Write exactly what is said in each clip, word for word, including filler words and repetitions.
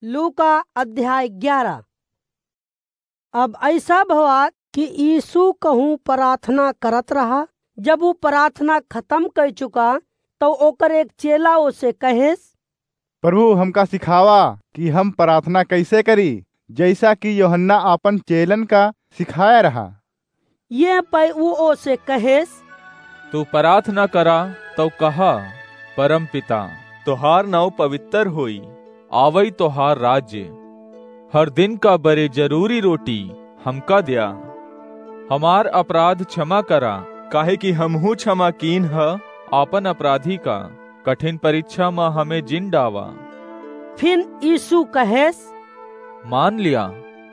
लूका अध्याय ग्यारह। अब अइसा भवा कि यीशु कहूँ प्रार्थना करत रहा। जब ऊ प्रार्थना खतम कइ चुका, तउ ओकर एक चेला ओसे कहेस, "प्रभु, हमका सिखावा कि हम प्रार्थना कइसे करी, जइसा कि यूहन्ना आपन चेलन का सिखाया रहा।" ये पै ऊ ओसे कहेस, "तू प्रार्थना करा तउ कहा, परम पिता, तोहार नाउँ पवित्र होई, आवई तोहार राज्य। हर दिन का बरे जरूरी रोटी हमका द्या। हमार अपराध क्षमा करा, काहे कि हमहूँ क्षमा कीन ह आपन अपराधी का। कठिन परीक्षा म हमें जिन डावा।" फिन यीशु कहेस, मान लिया,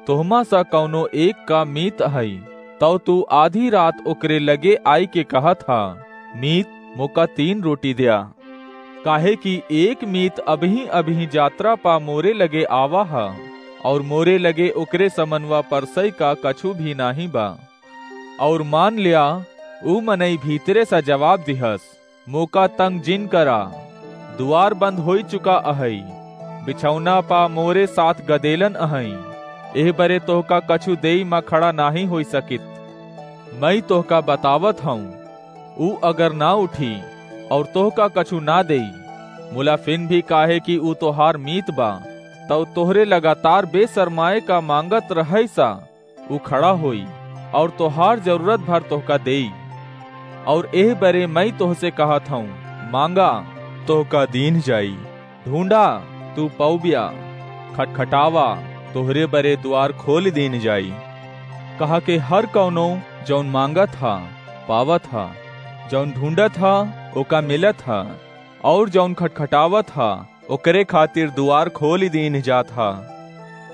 तोहमा सा कउनो एक का मीत हई, तउ तू आधी रात ओकरे लगे आइके कहत हा, मीत, मोका तीन रोटी द्या। काहे कि एक मीत अबहीं अबहीं जात्रा पा मोरे लगे आवा ह, अउर मोरे लगे ओकरे समनवा परसई का कछु भी नाहीं बा। अउर मान ल्या, ऊ मनई भीतरे सा जवाब दिहस, मोका तंग जिन करा, दुआर बंद होइ चुका अहई, बिछौना पा मोरे साथ गदेलन अहई, एह बरे तोहका कछु देई मा खड़ा नाहीं होइ सकित। मई तोहका बतावत हऊँ, ऊ अगर ना उठी अउर तोहका कछु ना देई, मुला फिन भी काहे कि ऊ तोहार मीत बा, तउ तोहरे लगातार बेसरमाए का मांगत रहइ सा, ऊ खड़ा होई अउर तोहार जरूरत भर तोहका देई। अउर एह बरे मई तोहसे कहत हऊँ, मांगा, तोहका दीन्ह जाई, ढूंढा, तू पउब्या, खटखटावा, तोहरे बरे दुआर खोलि दीन्ह जाई। कहा के हर कउनो जउन मांगत ह, पावत ह, जउन ढूंढत ह, ओका मिलत ह, अउर जउन खटखटावत ह, ओकरे खातिर दुआर खोलि दीन्ह जात ह।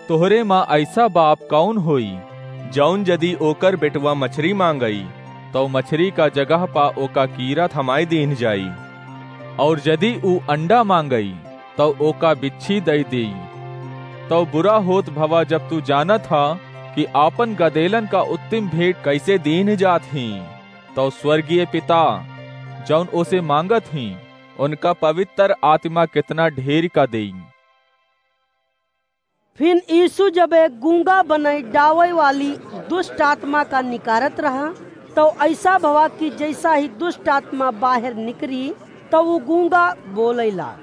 तोहरे मा अइसा बाप कउन होई, जउन जदि ओकर बेटवा मछरी मांगई, तउ मछरी का जगह पा ओका कीरा थमाइ दीन्ह जाई? अउर जदि ऊ अंडा मांगई, तउ ओका बिच्छी दइ देई। तउ बुरा होत भवा, जब तू जानत ह कि आपन गदेलन का उत्तिम भेंट कइसे दीन्ह जात हीं, तउ स्वर्गीय पिता, जउन ओसे मांगत हीं, उनका पवित्र आत्मा केतना ढेर का देई। फिन यीशु जब एक गूंगा बनई डावै वाली दुष्ट आत्मा का निकारत रहा, तउ अइसा भवा कि जइसा ही दुष्ट आत्मा बाहेर निकरी, तउ ऊ गूंगा बोलैला।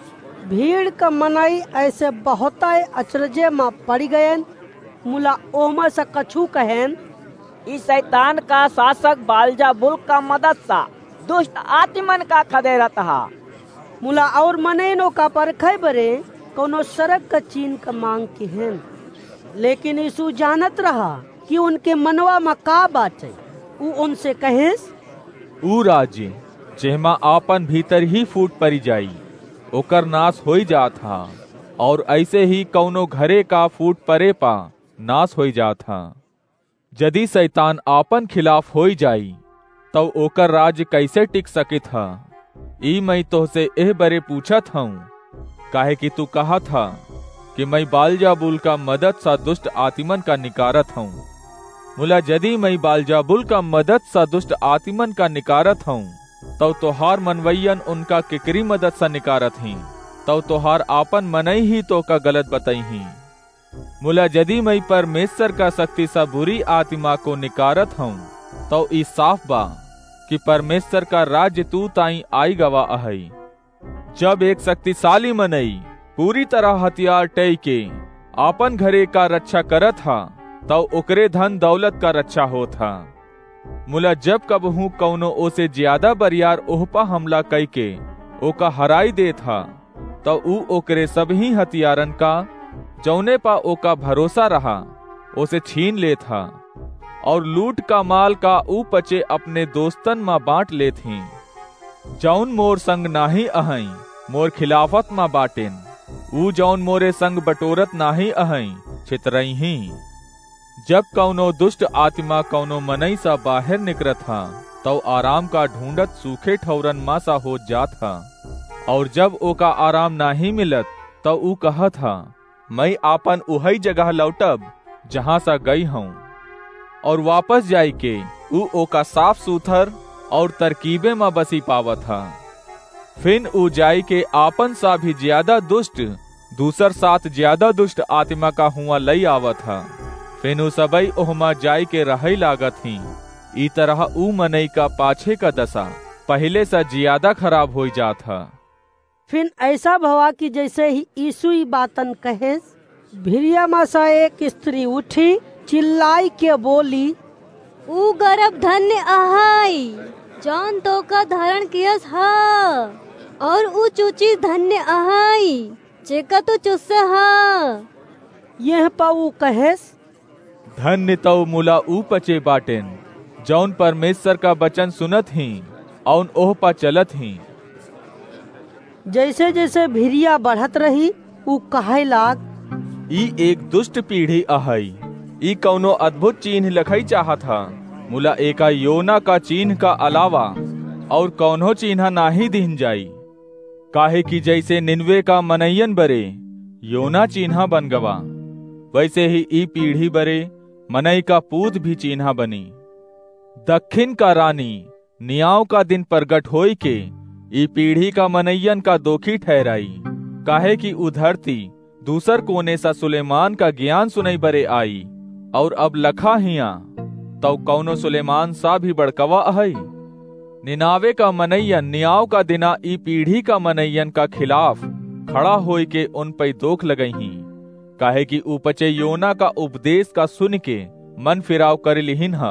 भीड़ का मनई अइसे बहुतै अचरजे मा पड़ि गएन, मुला ओहमा से कछु कहेन, "ई सैतान का सासक बालजाबुल का मदद सा दुष्ट आतिमन का खदेरत हा।" मुला अउर मनइन ओका परखै बरे कउनो सरग का चीन का मांग किहेन। लेकिन यीशु जानत रहा कि उनके मनवा मा का बाटै। ऊ उनसे कहेस, "ऊ राज्य जेहमा आपन भीतर ही फूट परि जाई, ओकर नास होइ जात हा, अउर अइसे ही कउनो घरे का फूट परे पा नास होइ जात हा।" जदि सैतान आपन खिलाफ होइ जाई, तउ ओकर राज्य कइसे टिक सकित ह? ई मई तोहसे एह बरे पूछत हऊँ, काहे कि तू कहत ह कि मई बालजाबुल का मदद सा दुष्ट आतिमन का निकारत हऊँ। मुला जदि मई बालजाबुल का मदद सा दुष्ट आतिमन का निकारत हऊँ, तउ तोहार मनवइयन उनका केकरी मदद सा निकारत हीं? तउ तोहार आपन मनई ही तोहका गलत बतइहीं। मुला जदि मई परमेश्वर का शक्ति सा बुरी आतिमा को निकारत हऊँ, तउ ई साफ बा कि परमेश्वर का राज्य तू ताईं आइ गवा अहई। जब एक शक्तिशाली मनई पूरी तरह हथियार टइके आपन घरे का रक्षा करत हा, तउ ओकरे धन दौलत का रक्षा होत हा। मुला जब कबहूँ कउनो ओसे ज्यादा बरियार ओह पा हमला कइके ओका हराइ देत हा, तउ ऊ ओकरे सबहीं हथियारन का, जउने पा ओका भरोसा रहा, ओसे छीन लेत हा, अउर लूट का माल का ऊ पचे अपने दोस्तन मा बाँट लेत हीं। जउन मोर संग नाहीं अहइँ, मोर खिलाफत मा बाटेन। ऊ जउन मोरे संग बटोरत नाहीं अहइँ, छितरइहीं। जब कउनो दुष्ट आतिमा कउनो मनई सा बाहेर निकरत ह, तउ आराम का ढूँढत सूखे ठउरन मा सा होत जात ह। अउर जब ओका आराम नाहीं मिलत, तउ ऊ कहत ह, "मई आपन उहई जगह लौटब, जहाँ सा गई हऊँ।" अउर वापस जाइके ऊ ओका साफ सुथर अउर तरकीबे मा बसी पावत ह। फिन ऊ जाइके आपन सा भी ज्यादा दुष्ट दूसर सात ज्यादा दुष्ट आत्मा का हुआं लई आवत ह। फिन उ सबई ओहमा जाइके रहइ लागत हीं। ई तरह उ मनई का पाछे का दसा पहिले स ज्यादा खराब होइ जात ह। फिन ऐसा भवा कि जैसे ही यीशु ई बातन कहेस, भिरिया मा स एक स्त्री उठी, चिल्लाइके बोली, "ऊ गर्भ धन्य अहइ, जौन तोका धारण कियस ह, और ऊ चूची धन्य अहइ, जेका तू चुस्स ह।" यह प ऊ कहेस, "धन्य तउ मुला ऊ पचे बाटेन, जौन परमेश्वर का बचन सुनत हीं, अउन ओह प चलत हीं।" जैसे जैसे भिरिया बढ़त रही, ऊ कहइ लाग, "ई एक दुष्ट पीढ़ी अहइ। ई कउनो अद्भुत चीन्ह लखइ चाहत ह, मुला एका योना का चीन्ह का अलावा और कउनो चीन्हा नाहीं दीन जाई। काहे कि जैसे निनवे का मनइयन बरे योना चीन्हा बन गवा, वैसे ही ई पीढ़ी बरे मनई का पूत भी चीन्हा बनी। दक्खिन का रानी नियाव का दिन प्रगट होइके ई पीढ़ी का मनइयन का दोखी ठहराई, काहे कि उ धरती दूसर कोने स सुलेमान का ज्ञान सुनई बरे आई, और अब लखा हियां, तउ कउनो सुलेमान स भी बड़कवा अहइ। निनावे का मनइयन नियाव का दिना ई पीढ़ी का मनइयन का खिलाफ खड़ा होइके उन पइ दोख लगइहीं, काहे कि उ पचे योना का उपदेश का सुनिके मन फिराव करि लिहिन ह।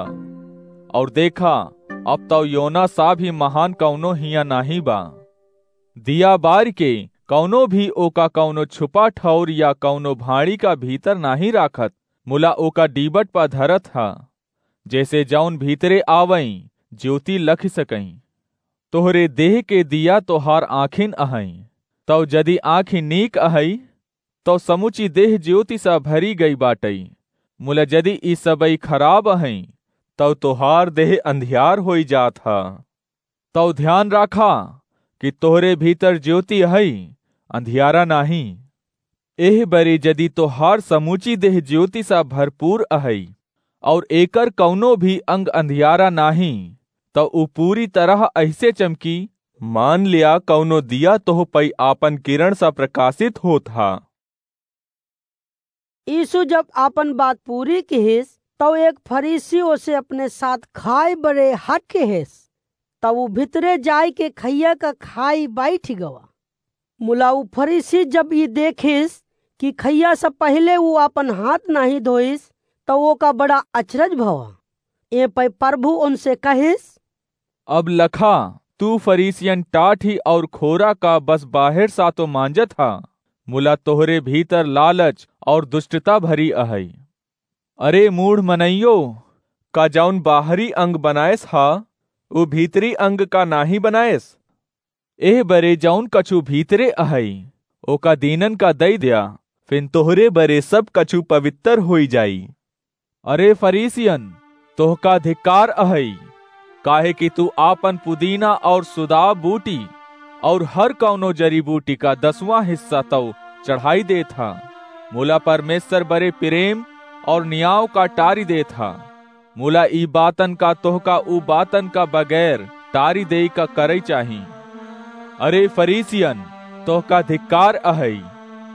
और देखा, अब तउ योना स भी महान कउनो हियां नाहीं बा। दिया बारिके कउनो भी ओका कउनो छुपा ठौर या कउनो भाँड़ी का भीतर नाहीं राखत, मुला ओका डीबट प धरत ह, जैसे जौन भीतरे आवइँ, ज्योति लखि सकइँ। तोहरे देह के दिया तोहार आँखिन अहइँ। तउ जदि आँखि नीक अहइ, तउ समुची देह ज्योति स भरि गइ बाटइ। मुला जदि ई सबइ खराब अहइँ, तउ तोहार देह अंधियार होइ जात ह। तउ ध्यान राखा कि तोहरे भीतर ज्योति अहइ, अंधियारा नाहीं। एह बरे जदि तोहार समूची देह ज्योति स भरपूर अहइ, और एकर कउनो भी अंग अंधियारा नाहीं, तउ ऊ पूरी तरह अइसे चमकी, मान लिया कउनो दिया तोह पइ आपन किरण स प्रकाशित होत ह। यीशु जब आपन बात पूरी किहिस, तउ एक फरीसी ओसे अपने साथ खाए बरे हट किहिस। तब ऊ भितरे जाइके खइया का खाई बैठ गवा। मुला ऊ फरीसी जब ई देखिस कि खइया से पहिले ऊ आपन हाथ नाहीं धोइस, तउ ओका बड़ा अचरज भवा। ए पै प्रभु उनसे कहिस, "अब लखा, तू फरीसियन टाठी और खोरा का बस बाहेर सातो मांजत हा, मुला तोहरे भीतर लालच और दुष्टता भरी अहै। अरे मूढ़ मनइयो, का जौन बाहरी अंग बनायस हा, उ भीतरी अंग का नाहीं बनायस? एह बरे जौन कछु भीतरे अहै, ओका दीनन का दइ द्या, फिन तोहरे बरे सब कछु पवित्र होइ जाई। अरे फरीसियन, तोहका धिक्कार अहै, काहे कि तू आपन पुदीना और सुदाव बूटी और हर कौनो जड़ी बूटी का दसवाँ हिस्सा तौ चढ़ाई देत हा, मुला परमेश्वर बरे प्रेम और नियाव का टारी देत हा। मुला ई बातन का तोहका उ बातन का बगैर टारी देई का करई चाही। अरे फरीसियन, तोहका धिक्कार अहै,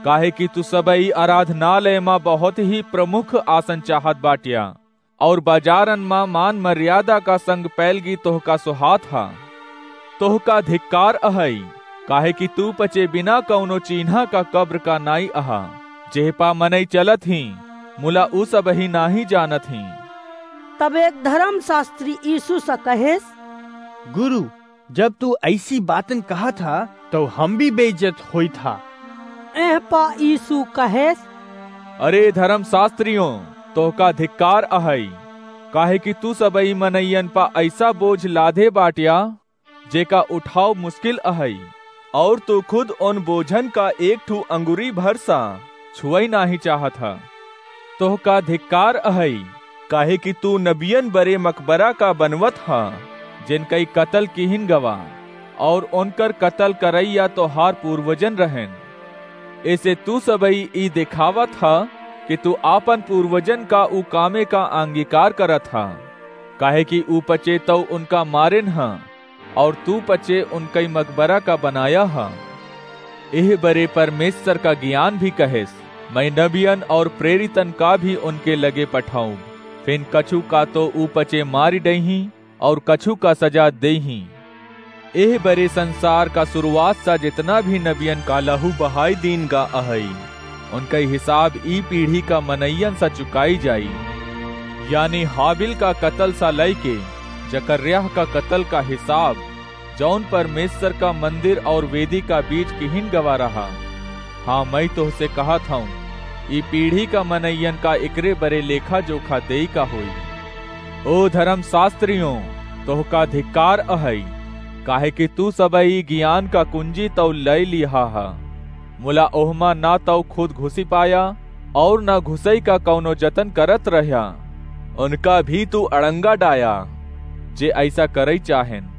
काहे कि तू सबई आराधनालय मा बहुत ही प्रमुख आसन चाहत बाट्या, और बाजारन मा मान मर्यादा का संग पैलगी तोहका सोहात हा। तोहका धिक्कार अहै, काहे कि तू पचे बिना कौनो चीन्हा का कब्र का नाई अहा, जेह पा मनई चलत ही, मुला उ सबही नाहीं जानत ही।" तब एक धर्मशास्त्री यीशु से कहेस, "गुरु, जब तू ऐसी बातन कहत हा, तो हम भी बेइज्जत होइत हा।" एह पा यीशु कहेस, "अरे धर्मशास्त्रियों, तोहका धिक्कार अहै, काहे कि तू सबई मनइयन पा ऐसा बोझ लादे बाट्या, जेका उठाव मुश्किल अहै, और तू खुद उन बोझन का एक ठू अंगुरी भर सा छुअई नाहीं चाहत हा। तोहका धिक्कार अहै, काहे कि तू नबियन बरे मकबरा का बनवत हा, जिनकई कतल किहिन गवा, और उनकर कतल करैया तोहार पूर्वजन रहन। एसे तू सबई ई देखावत हा कि तू आपन पूर्वजन का उ कामे का अंगीकार करत हा, काहे कि उ पचे तौ उनका मारेन हा, और तू पचे उनकई मकबरा का बनाया हा।" एह बरे परमेश्वर का ज्ञान भी कहेस, "मैं नबियन और प्रेरितन का भी उनके लगे पठाऊं, फिन कछु का तो ऊ पचे मारी डइहीं और कछु का सजा देइहीं।" एह बरे संसार का शुरुआत सा जितना भी नबियन का लहू बहाई दीन गा अहई, उनका हिसाब ई पीढ़ी का मनइयन सा चुकाई जाई। यानी हाबिल का कत्ल सा लइके जकर्याह का कत्ल का हिसाब, जौन परमेश्वर का मंदिर और वेदी का बीच किहिन गवा रहा। हाँ, मैं तोहसे कहत हूँ, ई पीढ़ी का मनइयन का एकरे बरे लेखा जोखा देई का होई। ओ धर्मशास्त्रियों, तोहका धिक्कार अहई, काहे कि तू सबई ई ज्ञान का कुंजी तौ लय लिहा हा। मुला ओहमा ना तौ खुद घुसी पाया और ना घुसई का कौनो जतन करत रह्या। उनका भी तू अड़ंगा डाया, जे ऐसा करई चाहेन।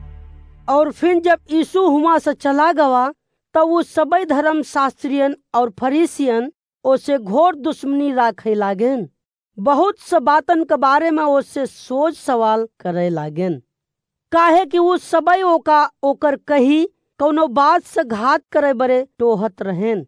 और फिर जब यीशु हुआं से चला गवा, तब उ सबई धर्मशास्त्रियन और फरीसियन ओसे घोर दुश्मनी राखे लागेन। बहुत स बातन के बारे में ओसे सोच सवाल करे लागेन, काहे कि उ सबई ओका ओकर कही कौनो बात से घात करे बरे टोहत रहेन।